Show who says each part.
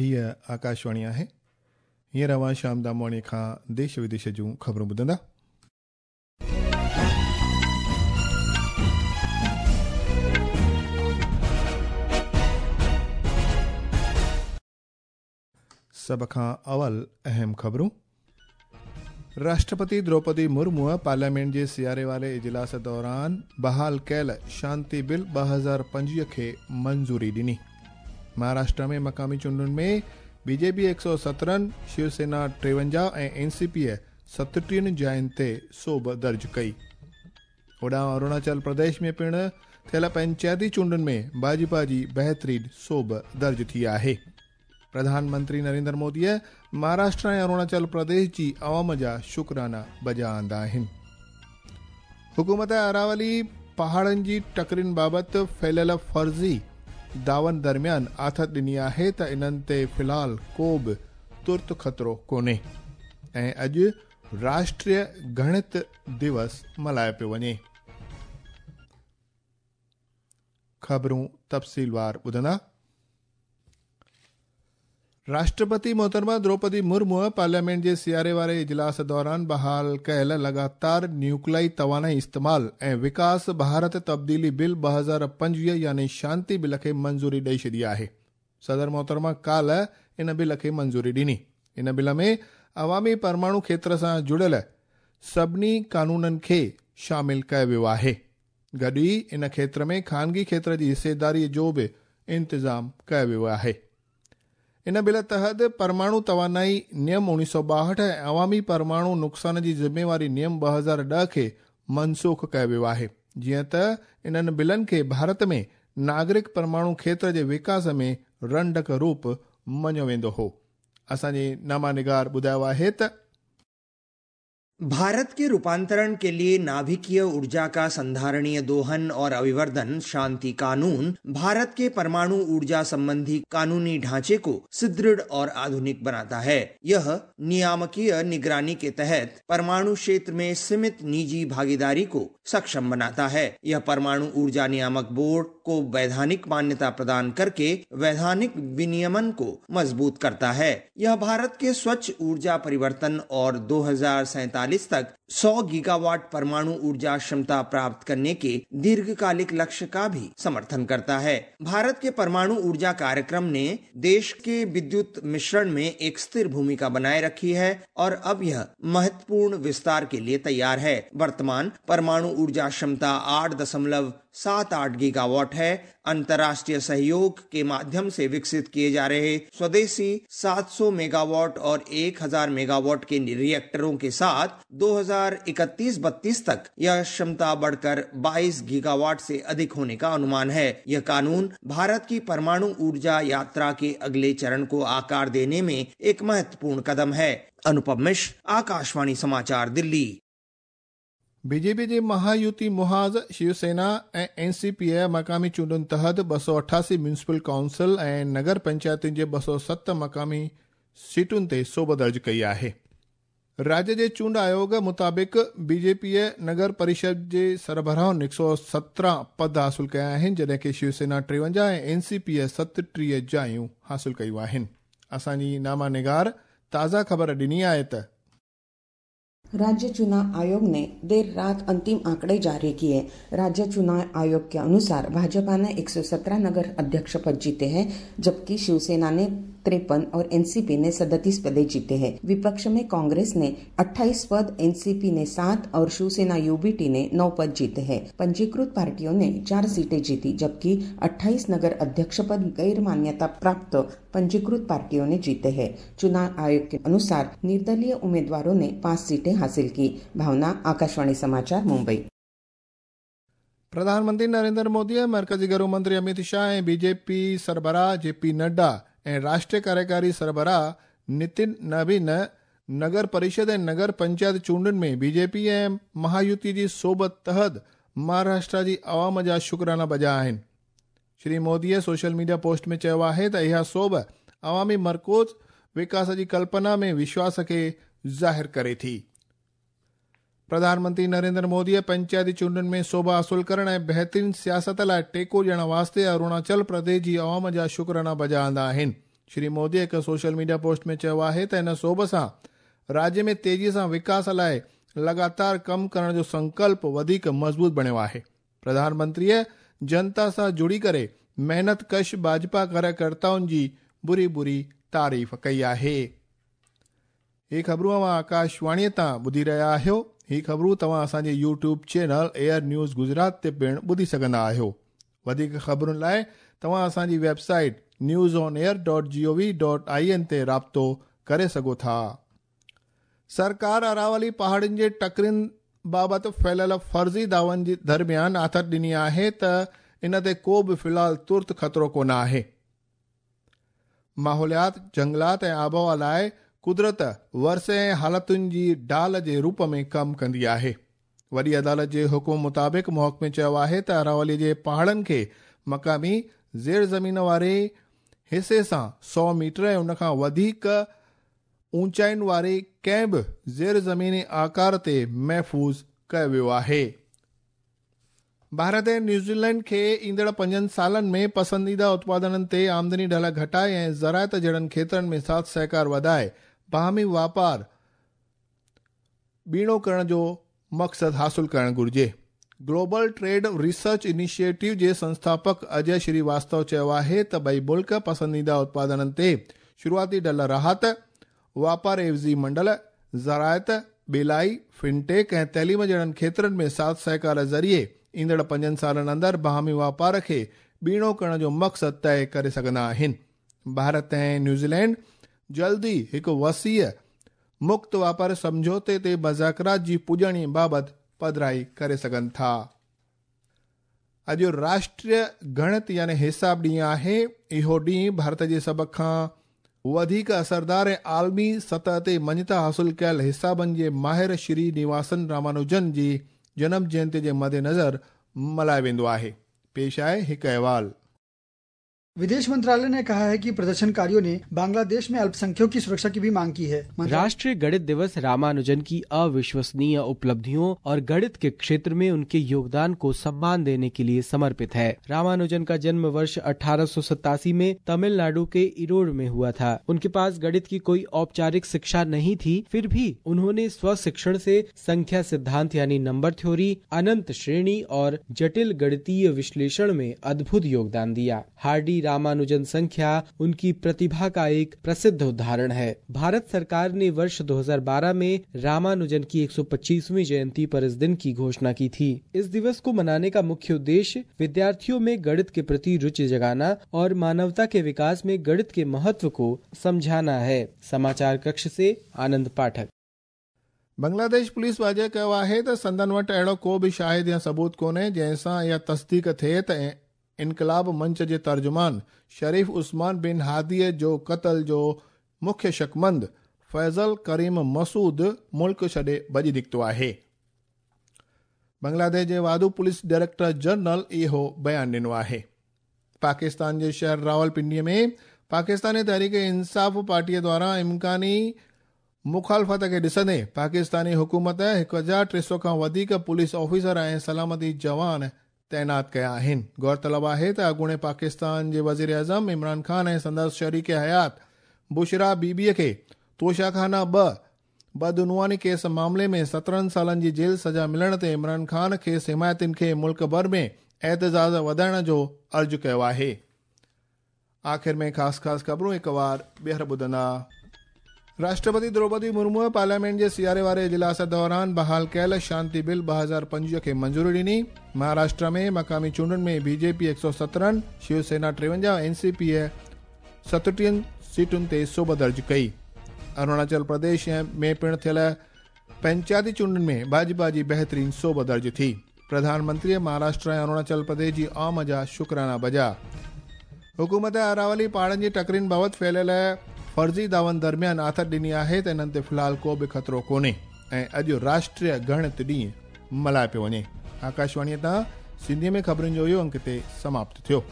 Speaker 1: هيء آڪاشواڻي آهي. هينئر اوهان شيام دامواڻيء کان ديش وديش جون خبرون ٻڌندا. سڀ کان اول اهم خبرون. راشٽرپتي دروپدي مرموء پارليامينٽ جي سياري واري اجلاس دوران بحال ڪيل شانتي بل 2025 کي منظوري ڏني. مهاراشٽرا ۾ مقامي چونڊن ۾ بي جي پي 117، شيو سينا 53 ۽ اين سي پيء 37 جاين تي سوڀ درج ڪئي. هوڏانهن اروناچل پرديش ۾ پڻ ٿيل پئنچائتي چونڊن ۾ ڀاجپا جي بهترين سوڀ درج ٿي آهي. پرڌان منتري نريندر موديء مهاراشٽرا ۽ اروناچل پرديش جي عوام جا شڪرانا بجا آندا آهن. حڪومت اراولي پهاڙن جي ٽڪرين بابت ڦهليل فرضي دعون درميان آٿت ڏني آهي ته انهن تي في الحال ڪو به ترت خطرو ڪونهي ۽ اڄ راشٽريه گڻت دوس ملهايو پيو وڃي. خبرون تفصيلوار ٻڌندا. راشٽرپتي محترمه دروپدي مرموء پارليامينٽ جي سياري واري اجلاس دوران بحال ڪيل لڳاتار نيوڪلائي توانائي استعمال ۽ وڪاس ڀارت تبديلي بل 2025 يعني شانتي بل کي منظوري ڏئي ڇڏي آهي. صدر محترمه ڪالهه ان بل کي منظوري ڏني. ان بل ۾ عوامي پرماڻو کيتر سان جڙيل سڀني قانونن کي شامل ڪيو ويو آهي. گڏ ئي ان کيتر ۾ خانگي کيتر جي حصيداري جو به انتظام ڪيو ويو آهي. ان بل تحت پرماڻو توانائي نيم 1962 ۽ عوامي پرماڻو نقصان جي ذميواري نيم 2010 کي منسوخ ڪيو ويو آهي، جيئن ته انهن بلن کي ڀارت ۾ ناگرڪ پرماڻو کيتر جي وڪاس ۾ رنڊڪ روپ مڃيو ويندو هو. اسان جي نامه نگار ٻڌايو آهي ته.
Speaker 2: भारत के रूपांतरण के लिए नाभिकीय ऊर्जा का संधारणीय दोहन और अभिवर्धन शांति कानून भारत के परमाणु ऊर्जा संबंधी कानूनी ढांचे को सुदृढ़ और आधुनिक बनाता है। यह नियामकीय निगरानी के तहत परमाणु क्षेत्र में सीमित निजी भागीदारी को सक्षम बनाता है। यह परमाणु ऊर्जा नियामक बोर्ड को वैधानिक मान्यता प्रदान करके वैधानिक विनियमन को मजबूत करता है। यह भारत के स्वच्छ ऊर्जा परिवर्तन और 2047 तक 100 गीगावाट परमाणु ऊर्जा क्षमता प्राप्त करने के दीर्घकालिक लक्ष्य का भी समर्थन करता है। भारत के परमाणु ऊर्जा कार्यक्रम ने देश के विद्युत मिश्रण में एक स्थिर भूमिका बनाए रखी है और अब यह महत्वपूर्ण विस्तार के लिए तैयार है। वर्तमान परमाणु ऊर्जा क्षमता 8.78 गीगावाट है। अंतर्राष्ट्रीय सहयोग के माध्यम से विकसित किए जा रहे स्वदेशी 700 मेगावाट और 1000 मेगावाट के रिएक्टरों के साथ 2031-32 तक यह क्षमता बढ़कर 22 गीगावाट से अधिक होने का अनुमान है। यह कानून भारत की परमाणु ऊर्जा यात्रा के अगले चरण को आकार देने में एक महत्वपूर्ण कदम है। अनुपम मिश्र, आकाशवाणी समाचार, दिल्ली।
Speaker 1: बीजेपी जे महायुति मुहाज़ शिवसेना ऐं एन सी पीअ मक़ामी चूंडुनि तहत 288 म्यूनिसिपल काउंसिल ऐं नगर पंचायतुनि जे 207 मक़ामी सीटुनि ते सोभ दर्ज कई आहे। राज्य जे चूंड आयोग मुताबिक़ बीजेपीअ नगर परिषद जे सरबराहुनि 117 पद हासिल कया आहिनि, जॾहिं की शिवसेना 53 ऐं एन सी पीअ 37 जायूं हासिल कयूं आहिनि। असांजी नामा निगार ताज़ा ख़बर ॾिनी आहे त
Speaker 3: राज्य चुनाव आयोग ने देर रात अंतिम आंकड़े जारी किए। राज्य चुनाव आयोग के अनुसार भाजपा ने 117 नगर अध्यक्ष पद जीते हैं, जबकि शिवसेना ने 53 और एनसीपी ने 37 पदे जीते हैं। विपक्ष में कांग्रेस ने 28 पद, एनसीपी ने 7 और शिवसेना यूबीटी ने 9 पद जीते हैं। पंजीकृत पार्टियों ने 4 सीटें जीती, जबकि 28 नगर अध्यक्ष पद गैर मान्यता प्राप्त पंजीकृत पार्टियों ने जीते हैं। चुनाव आयोग के अनुसार निर्दलीय उम्मीदवारों ने 5 सीटें हासिल की। भावना, आकाशवाणी समाचार, मुंबई।
Speaker 1: प्रधानमंत्री नरेंद्र मोदी, मरकज़ी घरू मंत्री अमित शाह ऐं बीजेपी सरबराह जेपी नड्डा ऐं राष्ट्रीय कार्यकारी सरबराह नितिन नवीन नगर परिषद ऐं नगर पंचायत चूंडुनि में बीजेपी ऐं महायुति जी सोभ तहत महाराष्ट्र जी अवाम जा शुक्राना बजा आहिनि। श्री मोदीअ सोशल मीडिया पोस्ट में चयो आहे त इहा सोभ अवामी मरकूज़ विकास जी कल्पना में विश्वास खे ज़ाहिर करे थी। प्रधानमंत्री नरेंद्र मोदीअ पंचायती चूंडुनि में सोभ हासिल करण ऐं बहितरीन सियासत लाइ टेको ॾियण वास्ते अरुणाचल प्रदेश जी अवाम जा शुक्राना बजा आंदा आहिनि। श्री मोदी हिकु सोशल मीडिया पोस्ट में चयो आहे त हिन सोभ सां राज्य में तेज़ीअ सां विकास लाइ लगातार कमु करण जो संकल्प वधीक मज़बूत बणियो आहे। प्रधानमंत्रीअ जनता सां जुड़ी करे महिनत कश भाजपा कार्यकर्ताउनि जी बुरी बुरी तारीफ़ कई आहे। ही ख़बरूं अव्हां आकाशवाणीअ तां ॿुधी रहिया आहियो। ही ख़बरूं तव्हां असांजे YouTube channel Air News Gujarat ते पिणु ॿुधी सघंदा आहियो। वधीक ख़बरुनि लाइ तव्हां असांजी वेबसाइट newsonair.gov.in ते राब्तो करे सघो था। सरकार अरावली पहाड़ियुनि जे टकरियुनि बाबति फैलियल फ़र्ज़ी दावनि जे दरमियान आथत ॾिनी आहे त इन ते को बि फ़िलहाल तुर्त ख़तरो कोन आहे। माहौलियात, जंगलात ऐं आबहावा लाइ कुदरत वरसे ऐं हालतुनि जी ढाल जे रूप में कमु कंदी आहे। वॾी अदालत जे हुकुम मुताबिक़ महकमे चयो आहे त अरावली जे पहाड़नि खे मक़ामी ज़ेर ज़मीन वारे हिसे सां 100 मीटर ऐं उन खां वधीक ऊंचाइयुनि वारे कंहिं बि ज़ेर ज़मीनी आकार ते महफ़ूज़ कयो वियो आहे। भारत ऐं न्यूज़ीलैंड खे ईंदड़ 5 सालनि में पसंदीदा उत्पादननि ते आमदनी ढल घटाए ऐं ज़राअत जहिड़नि खेतरनि में साथ सहकार वधाए बाहमी वापार ॿीणो करण जो मक़सदु हासिल करणु घुरिजे। ग्लोबल ट्रेड रिसर्च इनिशिएटिव जे संस्थापक अजय श्रीवास्तव चयो आहे त ॿई मुल्क पसंदीदा उत्पादननि ते शुरूआती ढल राहत, वापार एवज़ी मंडल, ज़राअत, ॿेलाई, फिनटेक ऐं तइलीम जहिड़नि खेतरनि में साथ सहकार ज़रिए ईंदड़ 5 सालनि अंदरि बाहमी वापार खे ॿीणो करण जो मक़सदु तय करे सघंदा आहिनि। भारत ऐं न्यूज़ीलैंड जल्द ई हिकु वसीअ मुक्त वापार सम्झौते ते मुज़ाकरात जी पुॼाणी बाबति पधराई करे सघनि था। अॼु राष्ट्रीय गणित यानी हिसाब ॾींहुं आहे। इहो ॾींहुं भारत जे सभ खां वधीक असरदार ऐं आलमी सतह ते मञता हासिल कयल हिसाबनि जे माहिर श्री निवासन रामानुजन जी जनम जयंती जे मद्देनज़र मल्हायो वेंदो आहे। पेश आहे हिकु अहवाल।
Speaker 4: विदेश मंत्रालय ने कहा है कि प्रदर्शनकारियों ने बांग्लादेश में अल्पसंख्यकों की सुरक्षा की भी मांग की है।
Speaker 5: राष्ट्रीय गणित दिवस रामानुजन की अविश्वसनीय उपलब्धियों और गणित के क्षेत्र में उनके योगदान को सम्मान देने के लिए समर्पित है। रामानुजन का जन्म वर्ष 1887 में तमिलनाडु के इरोड में हुआ था। उनके पास गणित की कोई औपचारिक शिक्षा नहीं थी, फिर भी उन्होंने स्व शिक्षण से संख्या सिद्धांत यानी नंबर थ्योरी, अनंत श्रेणी और जटिल गणितीय विश्लेषण में अद्भुत योगदान दिया। हार्डी रामानुजन संख्या उनकी प्रतिभा का एक प्रसिद्ध उदाहरण है। भारत सरकार ने वर्ष 2012 में रामानुजन की 125वीं जयंती पर इस दिन की घोषणा की थी। इस दिवस को मनाने का मुख्य उद्देश्य विद्यार्थियों में गणित के प्रति रुचि जगाना और मानवता के विकास में गणित के महत्व को समझाना है। समाचार कक्ष से आनंद पाठक।
Speaker 1: बांग्लादेश पुलिस वाज़ेह कयो आहे त संदन वटि अहिड़ो को बि शाहिद या सबूत कोन्हे जंहिंसां इहा तस्दीक थिए त इनकलाब मंच जे तर्जुमान शरीफ उस्मान बिन हादीअ जो क़तल जो मुख्य शकमंद फैज़ल करीम मसूद मुल्क छॾे भॼी निकितो आहे। बांग्लादेश जे वाधू पुलिस डायरेक्टर जनरल इहो बयान ॾिनो आहे। पाकिस्तान जे शहर रावलपिंडीअ में पाकिस्तानी तहरीक इंसाफ़ पार्टीअ द्वारा इम्कानी मुखालफ़त खे ॾिसंदे पाकिस्तानी हुकूमत 1300 खां वधीक पुलिस ऑफिसर ऐं सलामती जवान तैनात कया आहिनि। गौरतलब आहे त अॻूणे पाकिस्तान जे वज़ीर आज़म इमरान ख़ान ऐं संदसि शरीक हयात बुशरा बीबीअ खे तोशाखाना 2 बदउनवानी केस मामले में 17 सालनि जी जेल सज़ा मिलण ते इमरान ख़ान खेसि हिमायतियुनि खे मुल्क भर में एहतजाज वधाइण जो अर्ज़ु कयो आहे। आख़िर में ख़ासि ख़ासि ख़बरूं हिकु वार ॿीहर ॿुधंदा। राष्ट्रपति द्रौपदी मुर्मू पार्लियामेंट जे सियारे वारे इजलास दौरान बहाल कयल शांति बिल 2025 खे मंज़ूरी ॾिनी। महाराष्ट्र में मक़ामी चूंडुनि में बीजेपी 117, शिवसेना 53, एनसीपी 37 सीटुनि ते सोभ दर्ज कई। अरुणाचल प्रदेश में पिणु थियल पंचायती चूंडुनि में भाजपा जी बहितरीन सोभ दर्ज थी। प्रधानमंत्री महाराष्ट्र ऐं अरुणाचल प्रदेश जी आम जा शुक्राना बजा। हुकूमत अरावली पहाड़नि जी टकरियुनि बाबति फैलियल फ़र्ज़ी दावन दरमियान आथत ॾिनी आहे त इन्हनि ते फ़िलहाल को बि ख़तरो कोन्हे ऐं अॼु राष्ट्रीय गणित ॾींहुं मल्हायो पियो वञे। आकाशवाणीअ तां सिंधीअ में ख़बरुनि जो इहो अंक हिते समाप्त थियो।